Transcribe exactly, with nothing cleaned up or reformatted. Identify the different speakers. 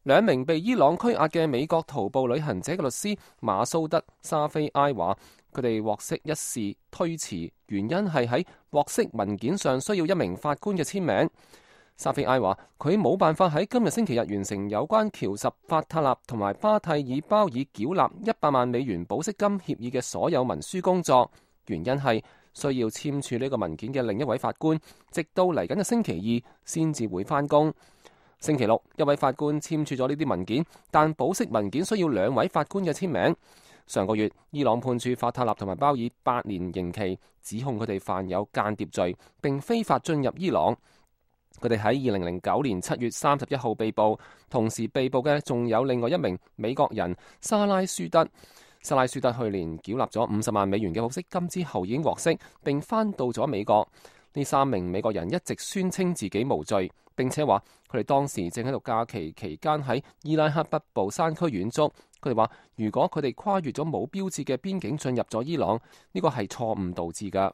Speaker 1: 兩名被伊朗拘押嘅美國徒步旅行者嘅律師馬蘇德沙菲埃話，佢哋獲釋一事推遲，原因係喺獲釋文件上需要一名法官嘅簽名。沙菲埃話，佢冇辦法喺今日星期日完成有關喬什法塔納同埋巴蒂爾鮑爾繳納一百萬美元保釋金協議嘅所有文書工作，原因係需要簽署呢個文件嘅另一位法官，直到嚟緊嘅星期二先至會返工。星期六，一位法官簽署咗呢啲文件，但保釋文件需要兩位法官嘅簽名。上個月，伊朗判處法塔納同埋鮑爾八年刑期，指控佢哋犯有間諜罪，並非法進入伊朗。佢哋喺二零零九年七月三十一號被捕，同時被捕嘅仲有另外一名美國人沙拉舒德。沙拉舒德去年繳納咗五十萬美元嘅保釋金之後已經獲釋，並翻到咗美國。呢三名美國人一直宣稱自己無罪，並且話佢哋當時正喺度假期期間喺伊拉克北部山區遠足。佢哋話如果佢哋跨越咗冇標誌嘅邊境進入咗伊朗，呢個係錯誤導致㗎。